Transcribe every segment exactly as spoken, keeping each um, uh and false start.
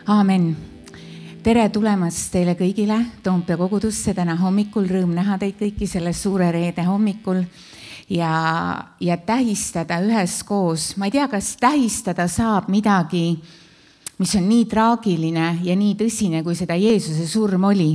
Aamen. Tere tulemast teile kõigile Toompea kogudusse täna hommikul. Rõõm näha teid kõiki selle suure reede hommikul ja, ja tähistada üheskoos. Ma ei tea, kas tähistada saab midagi, mis on nii traagiline ja nii tõsine, kui seda Jeesuse surm oli.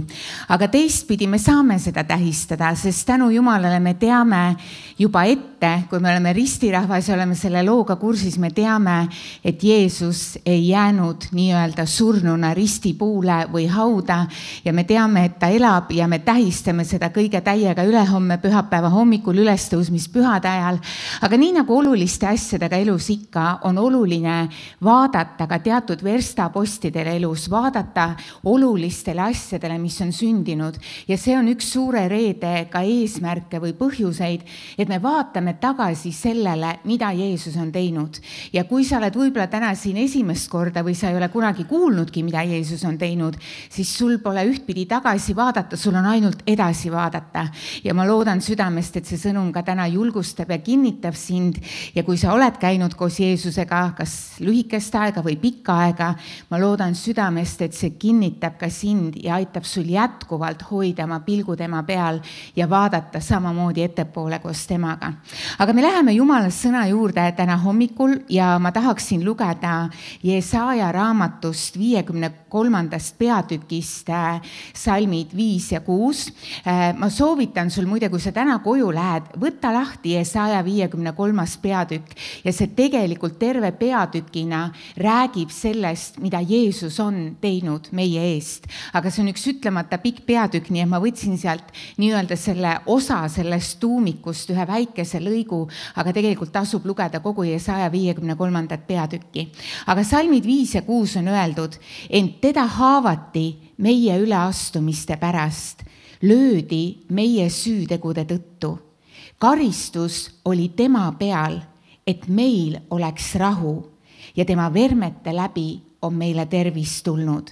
Aga teistpidi me saame seda tähistada, sest tänu Jumalale me teame juba ette, kui me oleme ristirahvas ja oleme selle looga kursis, me teame, et Jeesus ei jäänud nii-öelda surnuna ristipuule või hauda ja me teame, et ta elab ja me tähistame seda kõige täiega ülehomme pühapäeva hommikul ülestõusmispühade ajal. Aga nii nagu oluliste asjadega elus ikka, on oluline vaadata ka teatud verstapostidele elus, vaadata olulistele asjadele, mis on sündinud. Ja see on üks suure reede ka eesmärke või põhjuseid, et me vaatame tagasi sellele, mida Jeesus on teinud. Ja kui sa oled võib-olla täna siin esimest korda või sa ei ole kunagi kuulnudki, mida Jeesus on teinud, siis sul pole ühtpidi tagasi vaadata, sul on ainult edasi vaadata. Ja ma loodan südamest, et see sõnum ka täna julgustab ja kinnitab sind. Ja kui sa oled käinud koos Jeesusega, kas lühikest aega või pikka aega, ma loodan südamest, et see kinnitab ka sind ja aitab sul jätkuvalt hoida oma pilgu tema peal ja vaadata samamoodi ettepoole koos temaga. Aga me läheme Jumala sõna juurde täna hommikul ja ma tahaksin lugeda Jesaja raamatust viiekümne kolmandast peatükist salmid viis ja kuus. Ma soovitan sul muide, kui sa täna koju lähed, võtta lahti Jesaja viiekümne kolmas peatükk ja see tegelikult terve peatükina räägib sellest, mida Jeesus on teinud meie eest. Aga see on üks ütlemata pikk peatükk, nii et ma võtsin sealt nii-öelda selle osa sellest tuumikust ühe väikese lõigu, aga tegelikult tasub lugeda kogu Jesaja viiekümne kolmandat peatükki. Aga salmid viis ja kuus on öeldud, ent teda haavati meie üleastumiste pärast, löödi meie süütegude tõttu. Karistus oli tema peal, et meil oleks rahu ja tema vermete läbi on meile tervis tulnud.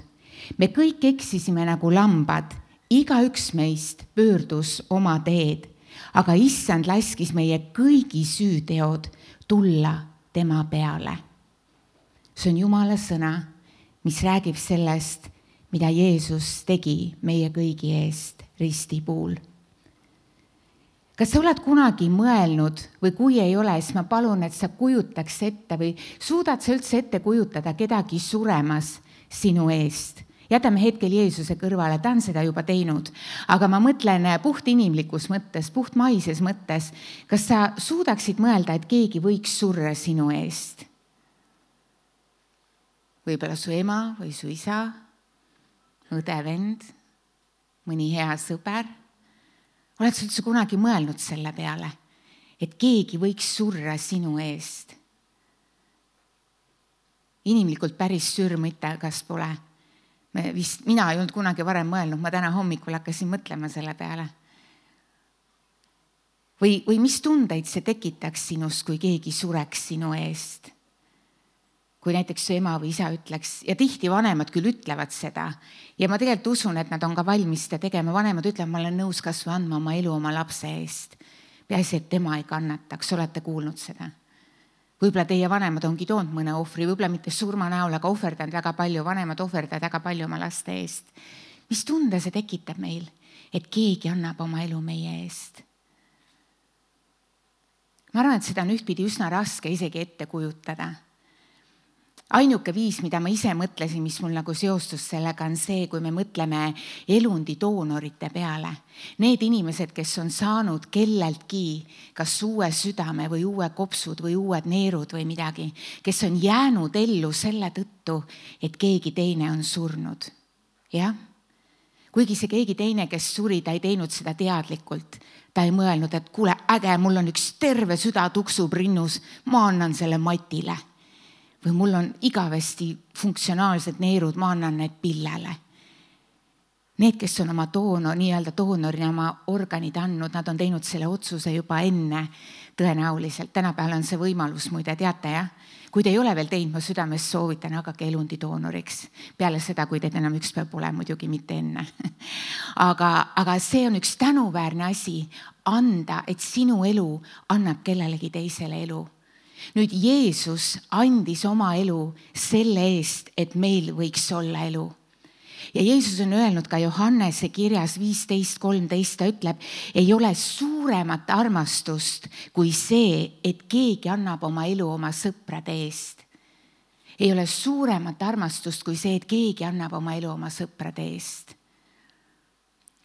Me kõik eksisime nagu lambad, iga üks meist pöördus oma teed, aga issand laskis meie kõigi süüteod tulla tema peale. See on Jumala sõna, mis räägib sellest, mida Jeesus tegi meie kõigi eest ristipuul. Kas sa oled kunagi mõelnud või kui ei ole, siis ma palun, et sa kujutaks ette või suudad sa üldse ette kujutada kedagi suremas sinu eest. Jätame hetkel Jeesuse kõrvale, ta on seda juba teinud, aga ma mõtlen puht inimlikus mõttes, puht maises mõttes, kas sa suudaksid mõelda, et keegi võiks surra sinu eest? Võib-olla su ema või su isa, õde, vend, mõni hea sõber. Oled sa üldse kunagi mõelnud selle peale, et keegi võiks surra sinu eest? Inimlikult päris sürmõte, kas pole? Me vist, mina ei olnud kunagi varem mõelnud, ma täna hommikul hakkasin mõtlema selle peale. Või, või mis tundeid see tekitaks sinust, kui keegi sureks sinu eest? Kui näiteks su ema või isa ütleks, ja tihti vanemad küll ütlevad seda, ja ma tegelikult usun, et nad on ka valmis seda tegema, vanemad ütlevad, ma olen nõus kas või andma oma elu oma lapse eest. Peaasi, et tema ei kannataks, olete kuulnud seda? Võib-olla teie vanemad ongi toonud mõne ohvri, võib-olla mitte surma näol, aga ohverdanud väga palju, vanemad ohverdavad väga palju oma laste eest. Mis tunde see tekitab meil, et keegi annab oma elu meie eest? Ma arvan, et seda on ühtpidi üsna raske isegi ette kujutada. Ainuke viis, mida ma ise mõtlesin, mis mul nagu seostus sellega, on see, kui me mõtleme elundi doonorite peale. Need inimesed, kes on saanud kelleltki kas uue südame või uue kopsud või uued neerud või midagi, kes on jäänud ellu selle tõttu, et keegi teine on surnud. Jah? Kuigi see keegi teine, kes suri, ta ei teinud seda teadlikult. Ta ei mõelnud, et kuule, äge, mul on üks terve süda tuksub rinnus, ma annan selle Matile. Või mul on igavesti funktsionaalsed neerud, ma annan need Pillele. Need, kes on oma doonor, nii-öelda doonorina oma organid andnud, nad on teinud selle otsuse juba enne tõenäoliselt. Tänapäeval on see võimalus, muide teate, jah? Kui te ei ole veel teinud, ma südames soovitan, hakake elundi doonoriks. Peale seda, kui teid enam üks päev pole, muidugi mitte enne. Aga, aga see on üks tänuväärne asi anda, et sinu elu annab kellelegi teisele elu. Nüüd Jeesus andis oma elu selle eest, et meil võiks olla elu. Ja Jeesus on öelnud ka Johannese kirjas viisteist kolmteist, ta ütleb, ei ole suuremat armastust kui see, et keegi annab oma elu oma sõprade eest. Ei ole suuremat armastust kui see, et keegi annab oma elu oma sõprade eest.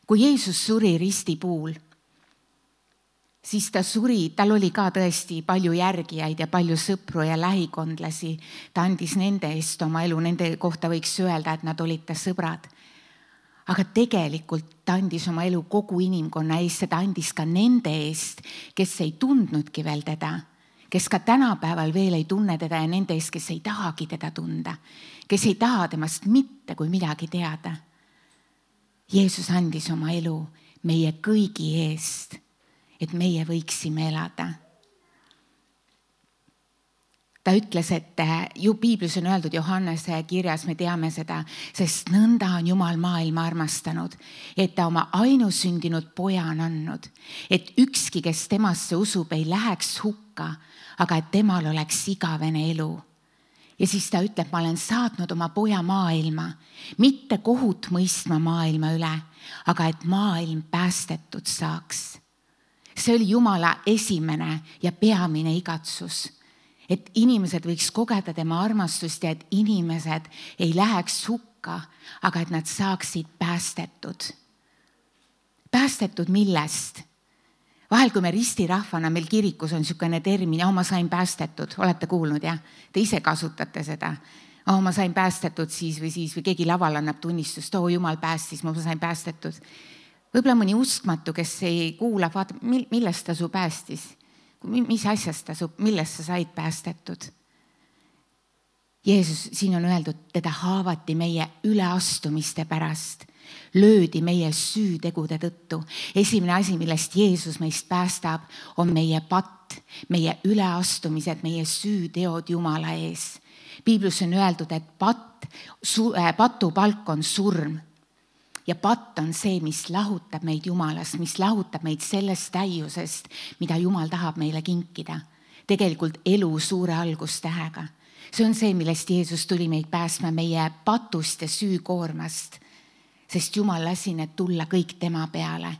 Kui Jeesus suri ristipuul, siis ta suri, tal oli ka tõesti palju järgijaid ja palju sõpru ja lähikondlasi. Ta andis nende eest oma elu, nende kohta võiks öelda, et nad olid ta sõbrad. Aga tegelikult ta andis oma elu kogu inimkonna eest, seda andis ka nende eest, kes ei tundnudki veel teda, kes ka tänapäeval veel ei tunne teda ja nende eest, kes ei tahagi teda tunda, kes ei taha temast mitte kui midagi teada. Jeesus andis oma elu meie kõigi eest, et meie võiksime elada. Ta ütles, et ju piiblis on öeldud Johannese kirjas, me teame seda, sest nõnda on Jumal maailma armastanud, et ta oma ainusündinud poja on andnud, et ükski, kes temasse usub, ei läheks hukka, aga et temal oleks igavene elu. Ja siis ta ütleb, ma olen saatnud oma poja maailma, mitte kohut mõistma maailma üle, aga et maailm päästetud saaks. See oli Jumala esimene ja peamine igatsus, et inimesed võiks kogeda tema armastust ja et inimesed ei läheks hukka, aga et nad saaksid päästetud. Päästetud millest? Vahel, kui me ristirahvana, meil kirikus on niisugune termin, ja ma sain päästetud, olete kuulnud, jah? Te ise kasutate seda. Oh, ma sain päästetud siis või siis või keegi laval annab tunnistust, oo Jumal päästis, ma sain päästetud. Võib-olla mõni uskmatu, kes ei kuula, vaata, millest ta su päästis, mis asjast ta su, millest sa said päästetud. Jeesus, siin on öeldud, teda haavati meie üleastumiste pärast, löödi meie süütegude tõttu. Esimene asi, millest Jeesus meist päästab, on meie patt, meie üleastumised, meie süüteod Jumala ees. Piiblus on öeldud, et patt, su, äh, patu palk on surm. Ja patt on see, mis lahutab meid Jumalast, mis lahutab meid sellest täiusest, mida Jumal tahab meile kinkida. Tegelikult elu suure algustähega. See on see, millest Jeesus tuli meid pääsma meie patust ja süükoormast, sest Jumal lasi need tulla kõik tema peale.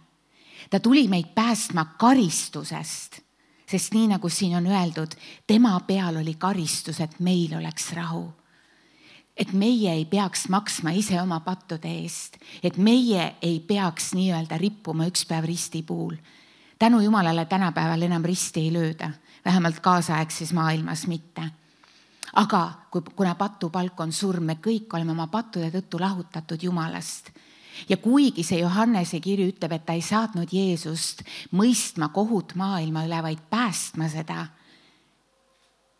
Ta tuli meid päästma karistusest, sest nii nagu siin on öeldud, tema peal oli karistus, et meil oleks rahu. Et meie ei peaks maksma ise oma pattude eest, et meie ei peaks nii-öelda rippuma üks päev ristipuul. Tänu Jumalale tänapäeval enam risti ei lööda, vähemalt kaasaegses maailmas mitte. Aga kuna patupalk on surm, me kõik oleme oma pattude tõttu lahutatud Jumalast. Ja kuigi see Johannese kiri ütleb, et ta ei saatnud Jeesust mõistma kohut maailma üle, vaid päästma seda,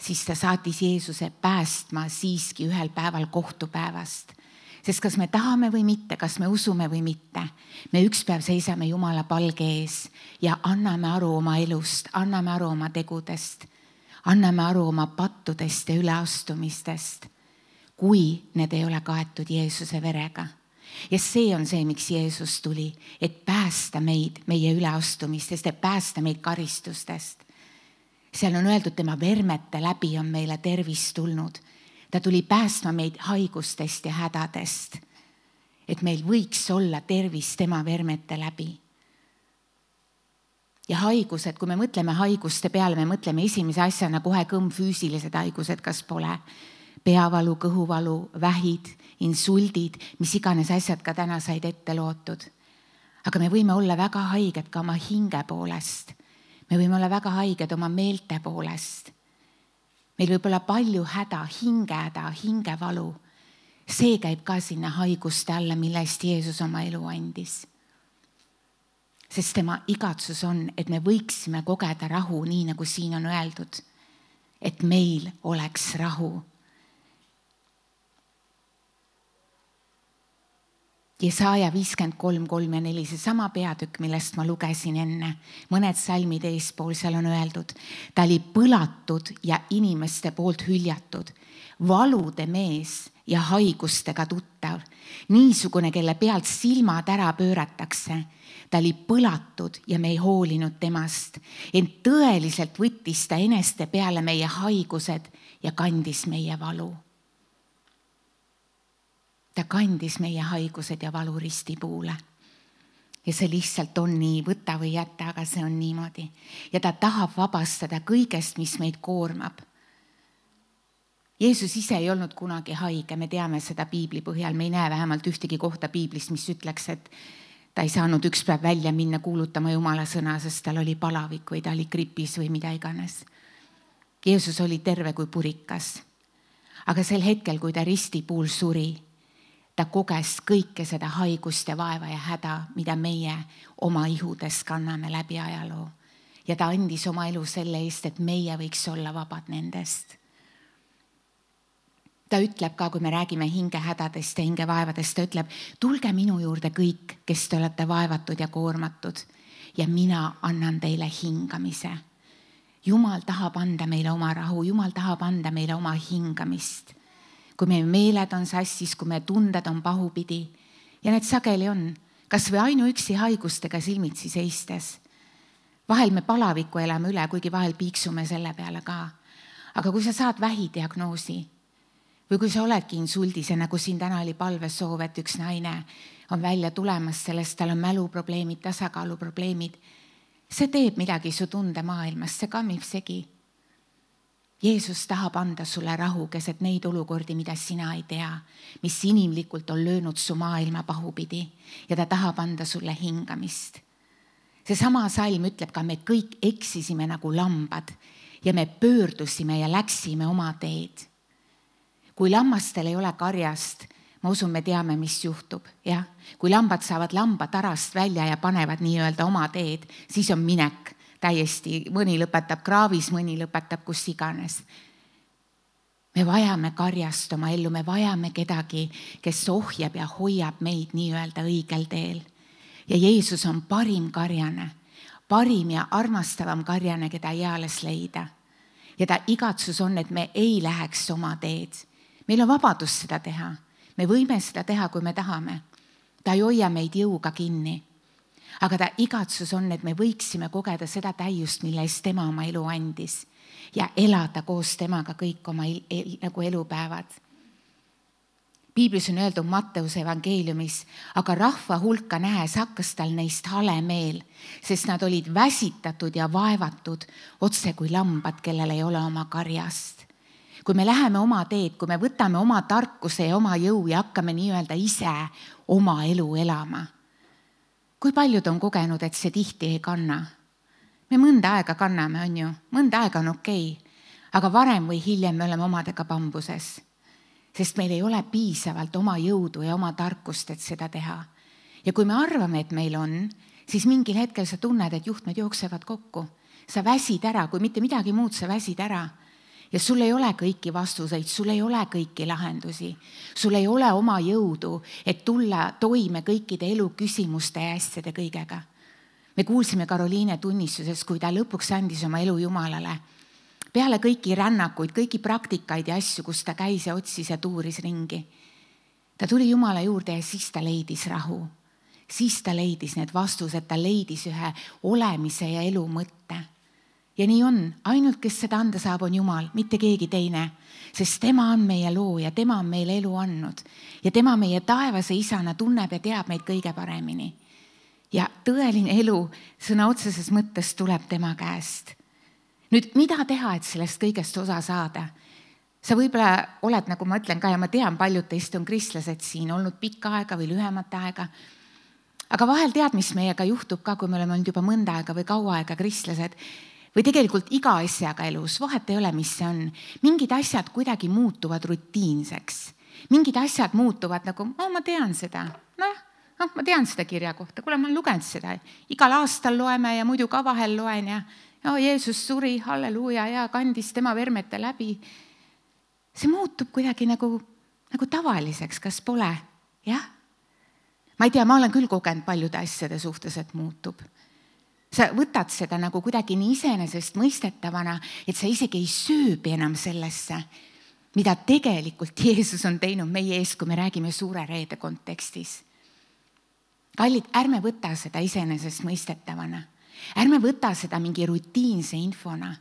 siis ta saatis Jeesuse päästma siiski ühel päeval kohtupäevast. Sest kas me tahame või mitte, kas me usume või mitte, me üks päev seisame Jumala palge ees ja anname aru oma elust, anname aru oma tegudest, anname aru oma pattudest ja üleastumistest, kui need ei ole kaetud Jeesuse verega. Ja see on see, miks Jeesus tuli, et päästa meid meie üleastumistest, et päästa meid karistustest. Seal on öeldud, tema vermete läbi on meile tervis tulnud. Ta tuli päästma meid haigustest ja hädadest, et meil võiks olla tervis tema vermete läbi. Ja haigused, kui me mõtleme haiguste peale, me mõtleme esimese asjana kohe kõmm füüsilised haigused, kas pole peavalu, kõhuvalu, vähid, insuldid, mis iganes asjad ka täna said ette lootud. Aga me võime olla väga haiged ka oma hinge poolest. Me võime olla väga haiged oma meelte poolest. Meil võib olla palju häda, hingehäda, hingevalu. See käib ka sinna haiguste alla, millest Jeesus oma elu andis. Sest tema igatsus on, et me võiksime kogeda rahu, nii nagu siin on öeldud, et meil oleks rahu. Jesaja viiskümmend kolm, kolm ja neli, see sama peatükk, millest ma lugesin enne, mõned salmid eespool, seal on öeldud, ta oli põlatud ja inimeste poolt hüljatud, valude mees ja haigustega tuttav, niisugune, kelle pealt silmad ära pööratakse. Ta oli põlatud ja me ei hoolinud temast, ent tõeliselt võttis ta eneste peale meie haigused ja kandis meie valu. Ta kandis meie haigused ja valu ristipuule. Ja see lihtsalt on nii, võta või jäta, aga see on niimoodi. Ja ta tahab vabastada kõigest, mis meid koormab. Jeesus ise ei olnud kunagi haige, me teame seda piibli põhjal, me ei näe vähemalt ühtegi kohta piiblis, mis ütleks, et ta ei saanud üks päev välja minna kuulutama Jumala sõna, sest tal oli palavik või ta oli gripis või mida iganes. Jeesus oli terve kui purikas. Aga sel hetkel, kui ta ristipuul suri, ta koges kõike seda haigust ja vaeva ja häda, mida meie oma ihudes kanname läbi ajaloo. Ja ta andis oma elu selle eest, et meie võiks olla vabad nendest. Ta ütleb ka, kui me räägime hingehädadest ja hingevaevadest, ta ütleb, tulge minu juurde kõik, kes te olete vaevatud ja koormatud ja mina annan teile hingamise. Jumal tahab anda meile oma rahu, Jumal tahab anda meile oma hingamist. Kui meie meeled on sassis, kui meie tunded on pahupidi ja need sageli on, kas või ainuüksi haigustega silmitsi seistes. Vahel me palaviku elame üle, kuigi vahel piiksume selle peale ka. Aga kui sa saad vähidiagnoosi või kui sa oledki insuldis ja nagu siin täna oli palvesoov, et üks naine on välja tulemas sellest, tal on mäluprobleemid, tasakaaluprobleemid, see teeb midagi su tundemaailmas, see kammib segi. Jeesus tahab anda sulle rahu keset neid olukordi, mida sina ei tea, mis inimlikult on löönud su maailma pahupidi ja ta tahab anda sulle hingamist. See sama salm ütleb ka, me kõik eksisime nagu lambad ja me pöördusime ja läksime oma teed. Kui lammastel ei ole karjast, ma usun, me teame, mis juhtub. Ja? Kui lambad saavad lambatarast välja ja panevad nii-öelda oma teed, siis on minek. Täiesti, mõni lõpetab kraavis, mõni lõpetab kus iganes. Me vajame karjast oma ellu, me vajame kedagi, kes ohjab ja hoiab meid nii-öelda õigel teel. Ja Jeesus on parim karjane, parim ja armastavam karjane, keda eales leida. Ja ta igatsus on, et me ei läheks oma teed. Meil on vabadus seda teha. Me võime seda teha, kui me tahame. Ta ei hoia meid jõuga kinni. Aga ta igatsus on, et me võiksime kogeda seda täiust, mille eest tema oma elu andis ja elada koos temaga kõik oma el, el, nagu elupäevad. Piiblis on öeldud Matteuse evangeeliumis, aga rahva hulka nähes hakkas tal neist hale meel, sest nad olid väsitatud ja vaevatud otse kui lambad, kellel ei ole oma karjast. Kui me läheme oma teed, kui me võtame oma tarkuse ja oma jõu ja hakkame nii-öelda ise oma elu elama. Kui paljud on kogenud, et see tihti ei kanna? Me mõnda aega kanname, on ju, mõnda aega on okei, aga varem või hiljem me oleme omadega pambuses, sest meil ei ole piisavalt oma jõudu ja oma tarkust, et seda teha. Ja kui me arvame, et meil on, siis mingil hetkel sa tunned, et juhtmed jooksevad kokku. Sa väsid ära, kui mitte midagi muud, sa väsid ära. Ja sul ei ole kõiki vastuseid, sul ei ole kõiki lahendusi. Sul ei ole oma jõudu, et tulla toime kõikide elu küsimuste ja asjade kõigega. Me kuulsime Karoliine tunnistuses, kui ta lõpuks andis oma elu Jumalale. Peale kõiki rännakuid, kõiki praktikaid ja asju, kus ta käis ja otsis ja tuuris ringi. Ta tuli Jumala juurde ja siis ta leidis rahu. Siis ta leidis need vastused, ta leidis ühe olemise ja elu mõtte. Ja nii on, ainult kes seda anda saab, on Jumal, mitte keegi teine, sest tema on meie looja, tema on meile elu andnud ja tema meie taevase isana tunneb ja teab meid kõige paremini. Ja tõeline elu sõna otseses mõttes tuleb tema käest. Nüüd, mida teha, et sellest kõigest osa saada? Sa võib-olla oled, nagu ma ütlen ka, ja ma tean, paljud teist on kristlased siin olnud pikka aega või lühemat aega, aga vahel tead, mis meiega juhtub ka, kui me oleme olnud juba mõnda aega või kaua aega kristlased, või tegelikult iga asjaga elus, vahet ei ole, mis see on. Mingid asjad kuidagi muutuvad rutiinseks. Mingid asjad muutuvad nagu, oh, ma tean seda. Noh, noh, ma tean seda kirja kohta. Kuule, ma olen lugenud seda. Igal aastal loeme ja muidu ka vahel loen ja oh, Jeesus suri, halleluuja, ja kandis tema vermete läbi. See muutub kuidagi nagu, nagu tavaliseks, kas pole? Jah. ma ei tea, ma olen küll kogenud paljude asjade suhtes, et muutub. Sa võtad seda nagu kuidagi nii iseenesest mõistetavana, et sa isegi ei sööbi enam sellesse, mida tegelikult Jeesus on teinud meie ees, kui me räägime suure reede kontekstis. Kallid, ärme võta seda iseenesest mõistetavana. Ärme võta seda mingi rutiinse infona.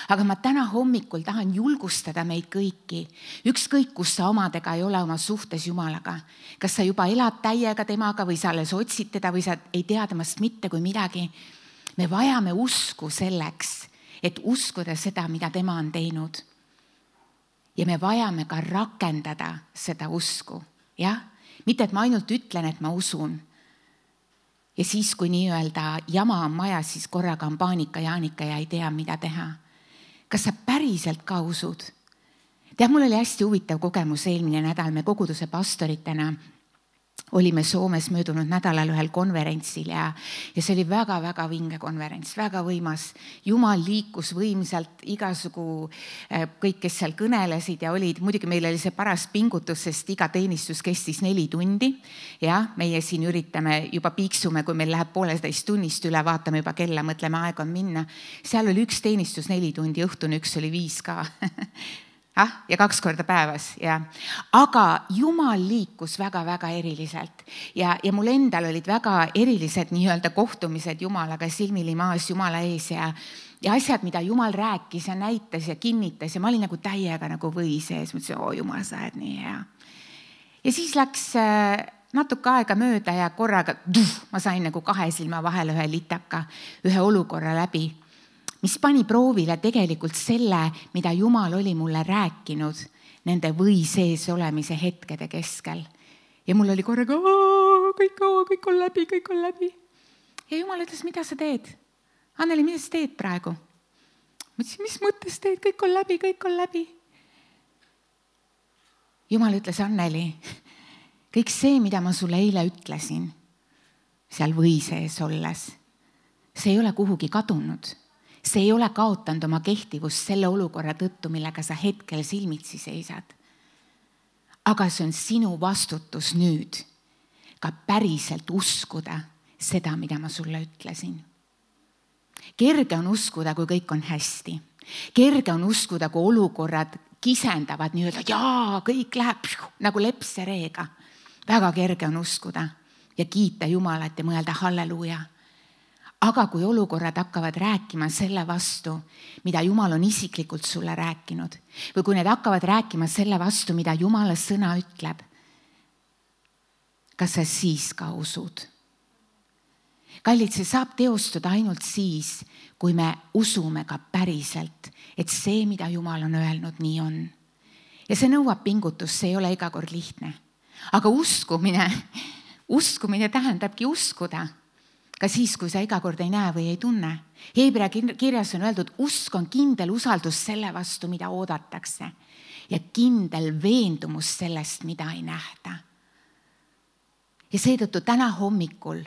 Aga ma täna hommikul tahan julgustada meid kõiki. Ükskõik, kus sa omadega ei ole oma suhtes Jumalaga. Kas sa juba elad täiega temaga või sa alles otsid teda või sa ei tea temast mitte kui midagi. Me vajame usku selleks, et uskuda seda, mida tema on teinud. Ja me vajame ka rakendada seda usku. Jah? Mitte, et ma ainult ütlen, et ma usun. Ja siis, kui nii-öelda jama on majas, siis korraga on paanika, jaanika ja ei tea, mida teha. Kas sa päriselt ka usud? Tead, mul oli hästi huvitav kogemus eelmine nädal. Me koguduse pastoritena olime Soomes möödunud nädalal ühel konverentsil ja, ja see oli väga-väga vinge konverents, väga võimas. Jumal liikus võimsalt, igasugu kõik, kes seal kõnelesid ja olid. Muidugi meil oli see paras pingutus, sest iga teenistus kestis neli tundi. Ja meie siin üritame, juba piiksume, kui meil läheb pooleteist tunnist üle, vaatame juba kella, mõtleme, aeg on minna. Seal oli üks teenistus neli tundi, õhtune üks oli viis ka. Ah, ja kaks korda päevas, ja. Aga Jumal liikus väga-väga eriliselt ja, ja mul endal olid väga erilised nii-öelda kohtumised Jumalaga silmili maas Jumala ees ja, ja asjad, mida Jumal rääkis ja näitas ja kinnitas ja ma olin nagu täiega nagu või sees, mõtlesin, oo Jumal, sa oled nii hea. Ja siis läks natuke aega mööda ja korraga tuh, ma sain nagu kahe silma vahele ühe litaka, ühe olukorra läbi, mis pani proovile tegelikult selle, mida Jumal oli mulle rääkinud nende või sees olemise hetkede keskel. Ja mul oli korraga, kõik, kõik on läbi, kõik on läbi. Ja Jumal ütles, mida sa teed? Anneli, mida sa teed praegu? Ma ütlesin, mis mõttes teed? Kõik on läbi, kõik on läbi. Jumal ütles, Anneli, kõik see, mida ma sulle eile ütlesin, seal või sees olles, see ei ole kuhugi kadunud. See ei ole kaotanud oma kehtivust selle olukorra tõttu, millega sa hetkel silmitsi seisad. Aga see on sinu vastutus nüüd ka päriselt uskuda seda, mida ma sulle ütlesin. Kerge on uskuda, kui kõik on hästi. Kerge on uskuda, kui olukorrad kisendavad nii-öelda, jaa, kõik läheb nagu lepsereega. Väga kerge on uskuda ja kiita Jumalat ja mõelda halleluuja. Aga kui olukorrad hakkavad rääkima selle vastu, mida Jumal on isiklikult sulle rääkinud, või kui need hakkavad rääkima selle vastu, mida Jumala sõna ütleb, kas sa siis ka usud? Kallid, see saab teostuda ainult siis, kui me usume ka päriselt, et see, mida Jumal on öelnud, nii on. Ja see nõuab pingutust, see ei ole iga kord lihtne. Aga uskumine, uskumine tähendabki uskuda. Ka siis, kui sa iga kord ei näe või ei tunne. Heebrea kirjas on öeldud, usk on kindel usaldus selle vastu, mida oodatakse ja kindel veendumus sellest, mida ei nähta. Ja seetõttu täna hommikul,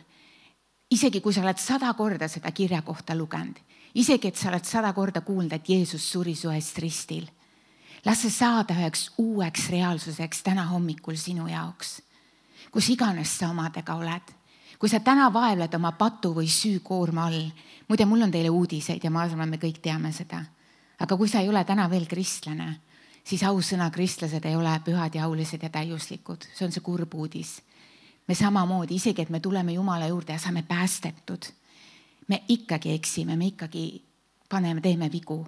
isegi kui sa oled sada korda seda kirja kohta lugenud, isegi et sa oled sada korda kuulnud, et Jeesus suri su eest ristil, las see saada üheks uueks reaalsuseks täna hommikul sinu jaoks, kus iganes sa omadega oled. Kui sa täna vaevled oma patu või süükoorma all, muide, mul on teile uudiseid ja ma arvan, me kõik teame seda. Aga kui sa ei ole täna veel kristlane, siis ausõna kristlased ei ole pühad ja aulised ja täiuslikud. See on see kurb uudis. Me samamoodi, isegi et me tuleme Jumala juurde ja saame päästetud. Me ikkagi eksime, me ikkagi paneme, teeme vigu.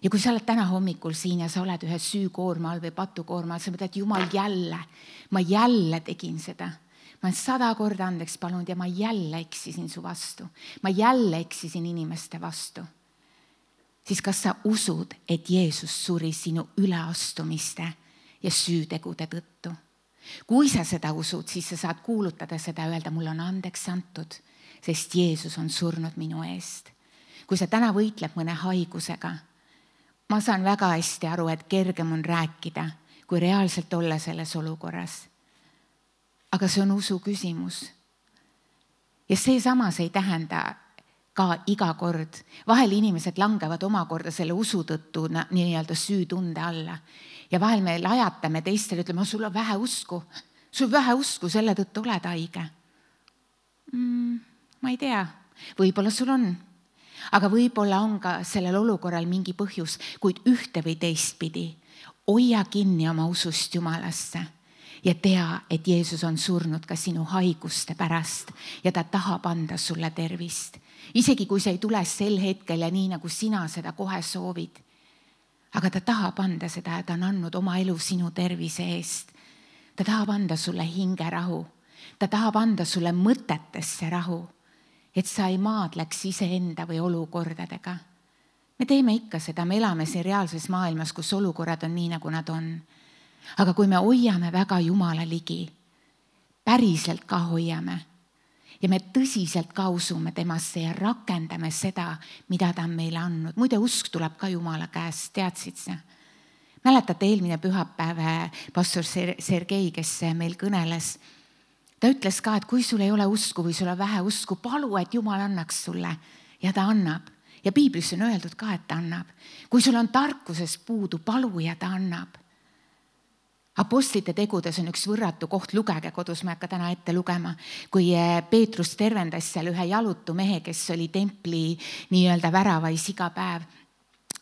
Ja kui sa oled täna hommikul siin ja sa oled ühe süükoorma all või patukoorma all, sa mõtled, et Jumal jälle, ma jälle tegin seda. Ma olen sada korda andeks palunud ja ma jälle eksisin su vastu. Ma jälle eksisin inimeste vastu. Siis kas sa usud, et Jeesus suri sinu üleastumiste ja süütegude tõttu? Kui sa seda usud, siis sa saad kuulutada seda ja öelda, mul on andeks antud, sest Jeesus on surnud minu eest. Kui sa täna võitled mõne haigusega, ma saan väga hästi aru, et kergem on rääkida, kui reaalselt olla selles olukorras. Aga see on usu küsimus. Ja see samas ei tähenda ka iga kord. Vahel inimesed langevad omakorda selle usu tõttu nii-öelda süütunde alla. Ja vahel me lajatame teistele, ütleme, sul on vähe usku. sul vähe usku, selle tõttu oled haige mm,. Ma ei tea, võib-olla sul on, aga võib-olla on ka sellel olukorral mingi põhjus, kuid ühte või teistpidi hoia kinni oma usust Jumalasse ja tea, et Jeesus on surnud ka sinu haiguste pärast ja ta tahab anda sulle tervist. Isegi kui see ei tule sel hetkel ja nii, nagu sina seda kohe soovid. Aga ta tahab anda seda ja ta on andnud oma elu sinu tervise eest. Ta tahab anda sulle hingerahu. Ta tahab anda sulle mõtetesse rahu, et sa ei maadleks iseenda või olukordadega. Me teeme ikka seda, me elame siin reaalses maailmas, kus olukorrad on nii, nagu nad on. Aga kui me hoiame väga Jumala ligi, päriselt ka hoiame ja me tõsiselt ka usume temasse ja rakendame seda, mida ta on meile andnud. Muide, usk tuleb ka Jumala käest, teadsid sa? Mäletate eelmine pühapäev pastor Sergei, kes meil kõneles, ta ütles ka, et kui sul ei ole usku või sul on vähe usku, palu, et Jumal annaks sulle ja ta annab. Ja piiblis on öeldud ka, et ta annab. Kui sul on tarkusest puudu, palu ja ta annab. Apostlite tegudes on üks võrratu koht, lugege kodus, ma ei hakka täna ette lugema, kui Peetrus tervendas seal ühe jalutu mehe, kes oli templi nii-öelda väravais iga päev.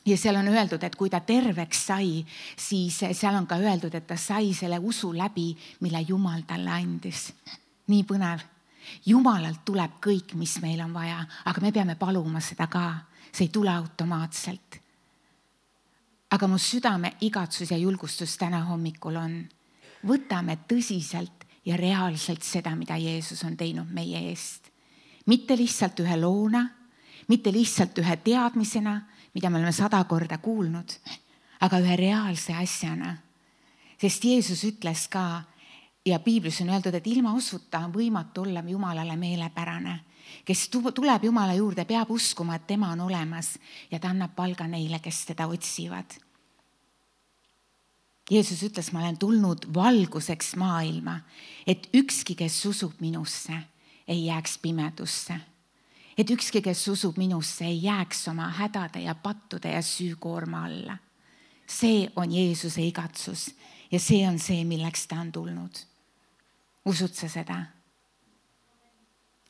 Ja seal on öeldud, et kui ta terveks sai, siis seal on ka öeldud, et ta sai selle usu läbi, mille Jumal talle andis. Nii põnev. Jumalalt tuleb kõik, mis meil on vaja, aga me peame paluma seda ka. See ei tule automaatselt. Aga mu südame igatsus ja julgustus täna hommikul on. Võtame tõsiselt ja reaalselt seda, mida Jeesus on teinud meie eest. Mitte lihtsalt ühe loona, mitte lihtsalt ühe teadmisena, mida me oleme sada korda kuulnud, aga ühe reaalse asjana. Sest Jeesus ütles ka, ja piiblis on öeldud, et ilma usuta on võimatu olla Jumalale meelepärane. Kes tuleb Jumala juurde, peab uskuma, et tema on olemas ja ta annab palga neile, kes teda otsivad. Jeesus ütles, ma olen tulnud valguseks maailma, et ükski, kes usub minusse, ei jääks pimedusse. Et ükski, kes usub minusse, ei jääks oma hädade ja pattude ja süükoorma alla. See on Jeesuse igatsus ja see on see, milleks ta on tulnud. Usud sa seda?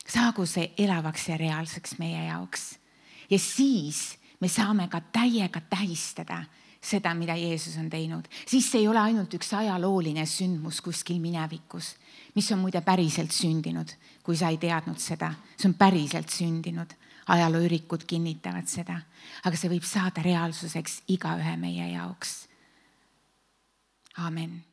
Saagu see elavaks ja reaalseks meie jaoks. Ja siis me saame ka täiega tähistada seda, mida Jeesus on teinud. Siis see ei ole ainult üks ajalooline sündmus kuskil minevikus, mis on muide päriselt sündinud, kui sa ei teadnud seda. See on päriselt sündinud. Ajalooürikud kinnitavad seda. Aga see võib saada reaalsuseks igaühe meie jaoks. Amen.